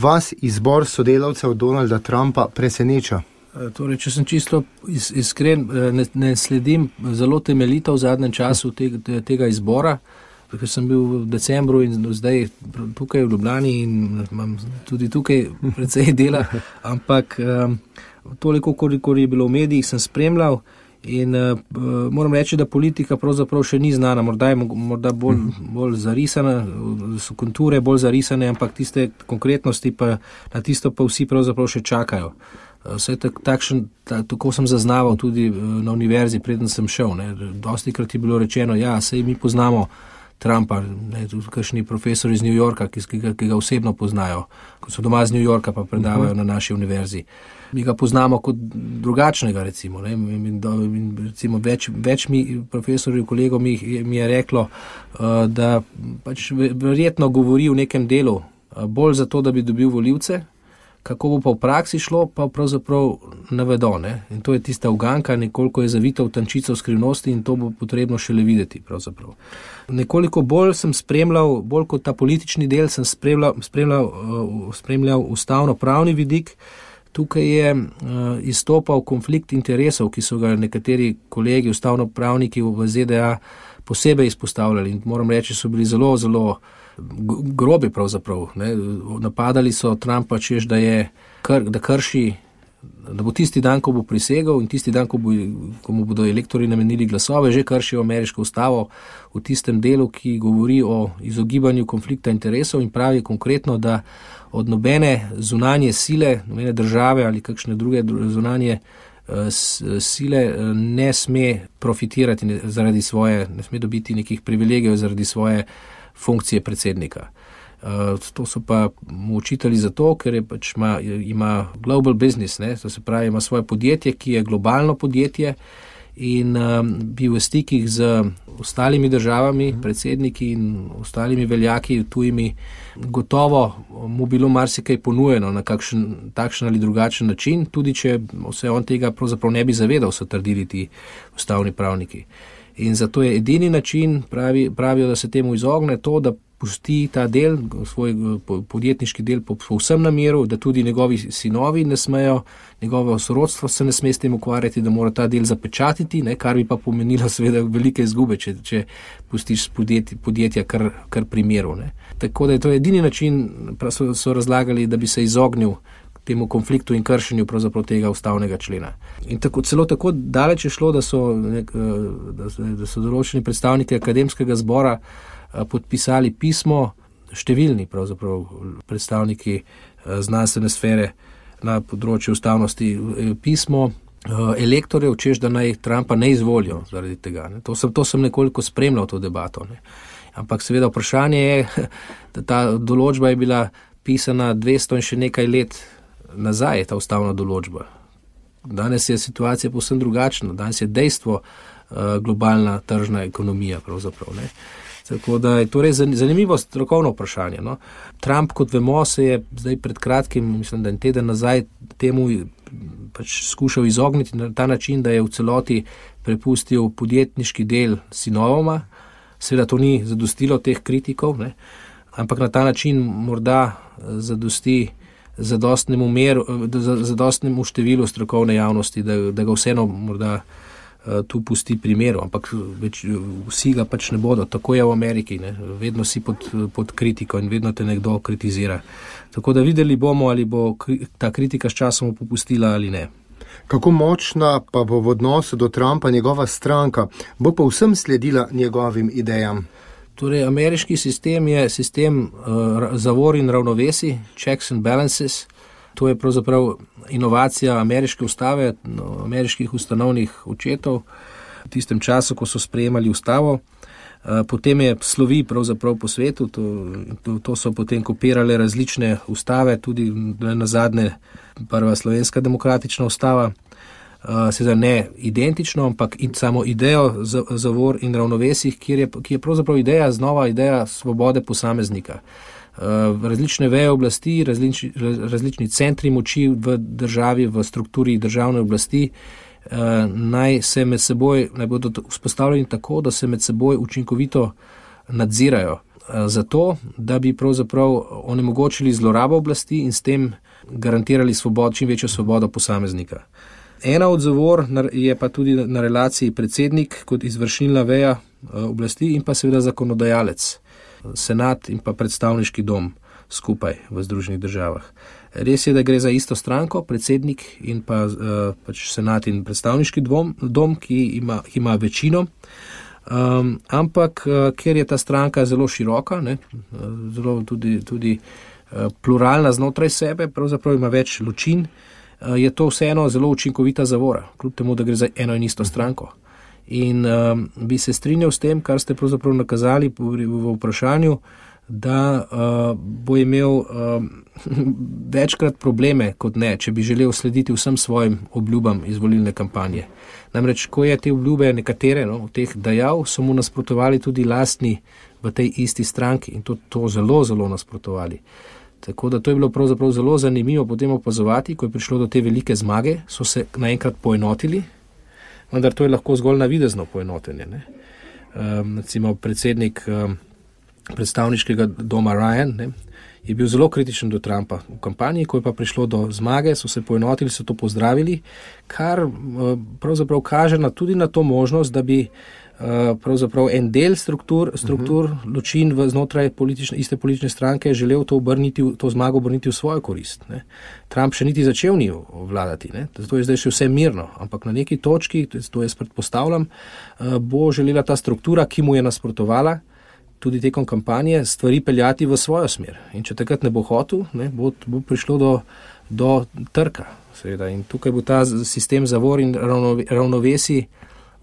vas izbor sodelavcev Donalda Trumpa preseneča? Torej, če sem čisto iskren, ne sledim zelo temeljito v zadnjem času tega izbora, ker sem bil v decembru in zdaj tukaj v Ljubljani in imam tudi tukaj precej dela, ampak toliko, koliko je bilo v medijih, sem spremljal in moram reči, da politika pravzaprav še ni znana, morda bolj zarisana, so konture bolj zarisane, ampak tiste konkretnosti pa na tisto pa vsi pravzaprav še čakajo. Vse tako sem zaznaval tudi na univerzi, preden sem šel. Dostikrat je bilo rečeno, saj mi poznamo Trumpa, tudi kakšni profesori iz New Yorka, ki ga osebno poznajo, ko so doma iz New Yorka pa predavajo na naši univerzi. Mi ga poznamo kot drugačnega, recimo. Recimo več profesorjev, kolegov mi je reklo, da pač verjetno govori v nekem delu bolj zato, da bi dobil volivce. Kako bo pa v praksi šlo, pa pravzaprav ne vedo. In to je tista uganka, nekoliko je zavita v tančico skrivnosti in to bo potrebno šele videti pravzaprav. Nekoliko bolj sem spremljal, bolj kot ta politični del, sem spremljal ustavno-pravni vidik. Tukaj je izstopal konflikt interesov, ki so ga nekateri kolegi, ustavno-pravniki v ZDA posebej izpostavljali in moram reči, so bili zelo, zelo grobi pravzaprav. Napadali so Trumpa, češ, da krši, da bo tisti dan, ko bo prisegel in tisti dan, ko mu bodo elektori namenili glasove, že kršijo ameriško ustavo v tistem delu, ki govori o izogibanju konflikta interesov in pravi konkretno, da od nobene zunanje sile, nobene države ali kakšne druge zunanje sile ne sme profitirati zaradi svoje, ne sme dobiti nekih privilegijev zaradi svoje funkcije predsednika. To so pa mu učitali zato, ker je pač ima global business, to se pravi, ima svoje podjetje, ki je globalno podjetje in bi v stikih z ostalimi državami, predsedniki in ostalimi veljaki tujimi, gotovo mu bilo marsikaj ponujeno na kakšen takšen ali drugačen način, tudi če se on tega pravzaprav ne bi zavedal, so trdili ti ustavni pravniki. In zato je edini način, pravijo, da se temu izogne, to, da pusti ta del, svoj podjetniški del povsem na miru, da tudi njegovi sinovi ne smejo, njegovo sorodstvo se ne sme s tem ukvarjati, da mora ta del zapečatiti, kar bi pa pomenilo seveda velike izgube, če pustiš podjetja kar pri miru. Tako da je to edini način, so razlagali, da bi se izognil temu konfliktu in kršenju pravzaprav tega ustavnega člena. In celo tako daleč je šlo, da so določeni predstavniki akademskega zbora podpisali pismo, številni pravzaprav predstavniki znanstvene sfere na področju ustavnosti, pismo elektorjev, češ da naj Trumpa ne izvolijo zaradi tega. To sem nekoliko spremljal to debato. Ampak seveda vprašanje je, da ta določba je bila pisana 200 in še nekaj let nazaj, je ta ustavna določba. Danes je situacija povsem drugačna, danes je dejstvo globalna tržna ekonomija pravzaprav. Tako da je torej zanimivo strokovno vprašanje. Trump, kot vemo, se je zdaj pred kratkim, mislim, da en teden nazaj, temu pač skušal izogniti na ta način, da je v celoti prepustil podjetniški del sinovoma. Seveda to ni zadostilo teh kritikov, ampak na ta način morda zadosti zadostnemu številu strokovne javnosti, da ga vseeno morda tu pusti pri miru, ampak vsi ga pač ne bodo. Tako je v Ameriki, vedno si pod kritiko in vedno te nekdo kritizira. Tako da videli bomo, ali bo ta kritika s časom popustila ali ne. Kako močna pa bo v odnosu do Trumpa njegova stranka? Bo pa vsem sledila njegovim idejam? Torej, ameriški sistem je sistem zavor in ravnovesij, checks and balances. To je pravzaprav inovacija ameriške ustave, ameriških ustanovnih očetov v tistem času, ko so sprejemali ustavo. Potem je slovi pravzaprav po svetu, to so potem kopirale različne ustave, tudi nazadnje prva slovenska demokratična ustava. Seveda ne identično, ampak samo idejo zavor in ravnovesij, ki je pravzaprav znova ideja svobode posameznika. Različne veje oblasti, različni centri moči v državi, v strukturi državne oblasti naj bodo vzpostavljeni tako, da se med seboj učinkovito nadzirajo. zato, da bi pravzaprav onemogočili zlorabo oblasti in s tem garantirali čim večjo svobodo posameznika. Ena od zavor je pa tudi na relaciji predsednik kot izvršilna veja oblasti in pa seveda zakonodajalec, senat in pa predstavniški dom skupaj v Združenih državah. Res je, da gre za isto stranko, predsednik in pa pač senat in predstavniški dom, ki ima večino, ampak ker je ta stranka zelo široka, zelo tudi pluralna znotraj sebe, pravzaprav ima več ločin, je to vseeno zelo učinkovita zavora, kljub temu, da gre za eno in isto stranko. In bi se strinjal s tem, kar ste pravzaprav nakazali v vprašanju, da bo imel večkrat probleme kot ne, če bi želel slediti vsem svojim obljubam iz volilne kampanje. Namreč, ko je te obljube nekatere od teh dajal, so mu nasprotovali tudi lastni v tej isti stranki in to zelo, zelo nasprotovali. Tako da to je bilo pravzaprav zelo zanimivo potem opazovati, ko je prišlo do te velike zmage, so se naenkrat poenotili, vendar to je lahko zgolj navidezno poenotenje. Recimo predsednik predstavniškega doma Ryan je bil zelo kritičen do Trumpa v kampanji, ko je pa prišlo do zmage, so se poenotili, so to pozdravili, kar pravzaprav kaže tudi na to možnost, da bi pravzaprav en del struktur ločin znotraj iste politične stranke želel to zmago obrniti v svojo korist. Trump še niti začel ni vladati, zato je zdaj še vse mirno, ampak na neki točki, to jaz predpostavljam, bo želela ta struktura, ki mu je nasprotovala, tudi tekom kampanje, stvari peljati v svojo smer. In če takrat ne bo hotel, bo prišlo do trka. Seveda. In tukaj bo ta sistem zavor in ravnovesi,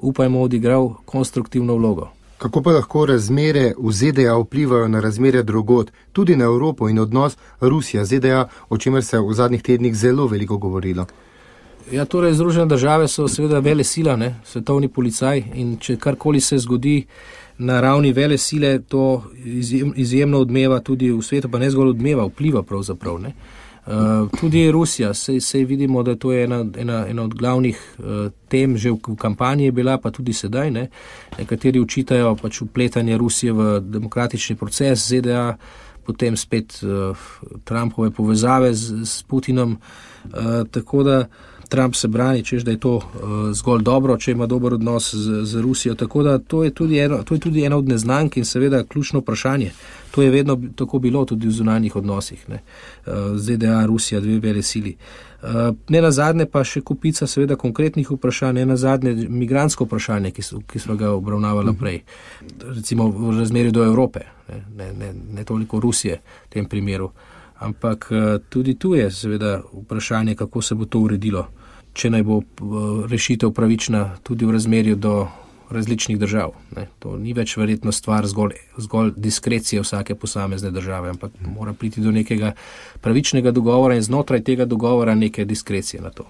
upajmo, odigral konstruktivno vlogo. Kako pa lahko razmere v ZDA vplivajo na razmere drugod, tudi na Evropo in odnos Rusija-ZDA, o čemer se v zadnjih tednih zelo veliko govorilo? Ja, torej Združene države so seveda vele sila, svetovni policaj, in če karkoli se zgodi na ravni vele sile, to izjemno odmeva tudi v svetu, pa ne zgolj odmeva, vpliva pravzaprav. Tudi Rusija, sej vidimo, da to je ena od glavnih tem, že v kampanji je bila, pa tudi sedaj. Nekateri učitajo pač vpletanje Rusije v demokratični proces ZDA, potem spet Trumpove povezave z Putinom, tako da Trump se brani, češ, da je to zgolj dobro, če ima dober odnos z Rusijo. Tako da to je tudi ena od neznank in seveda ključno vprašanje. To je vedno tako bilo tudi v zunanjih odnosih. ZDA, Rusija, dve vele sili. Ne nazadnje pa še kupica seveda konkretnih vprašanj, ne nazadnje migrantsko vprašanje, ki smo ga obravnavali prej. Recimo v razmerju do Evrope, ne toliko Rusije v tem primeru. Ampak tudi tu je seveda vprašanje, kako se bo to uredilo, če naj bo rešitev pravična tudi v razmerju do različnih držav. To ni več verjetno stvar zgolj diskrecije vsake posamezne države, ampak mora priti do nekega pravičnega dogovora in znotraj tega dogovora neke diskrecije na to.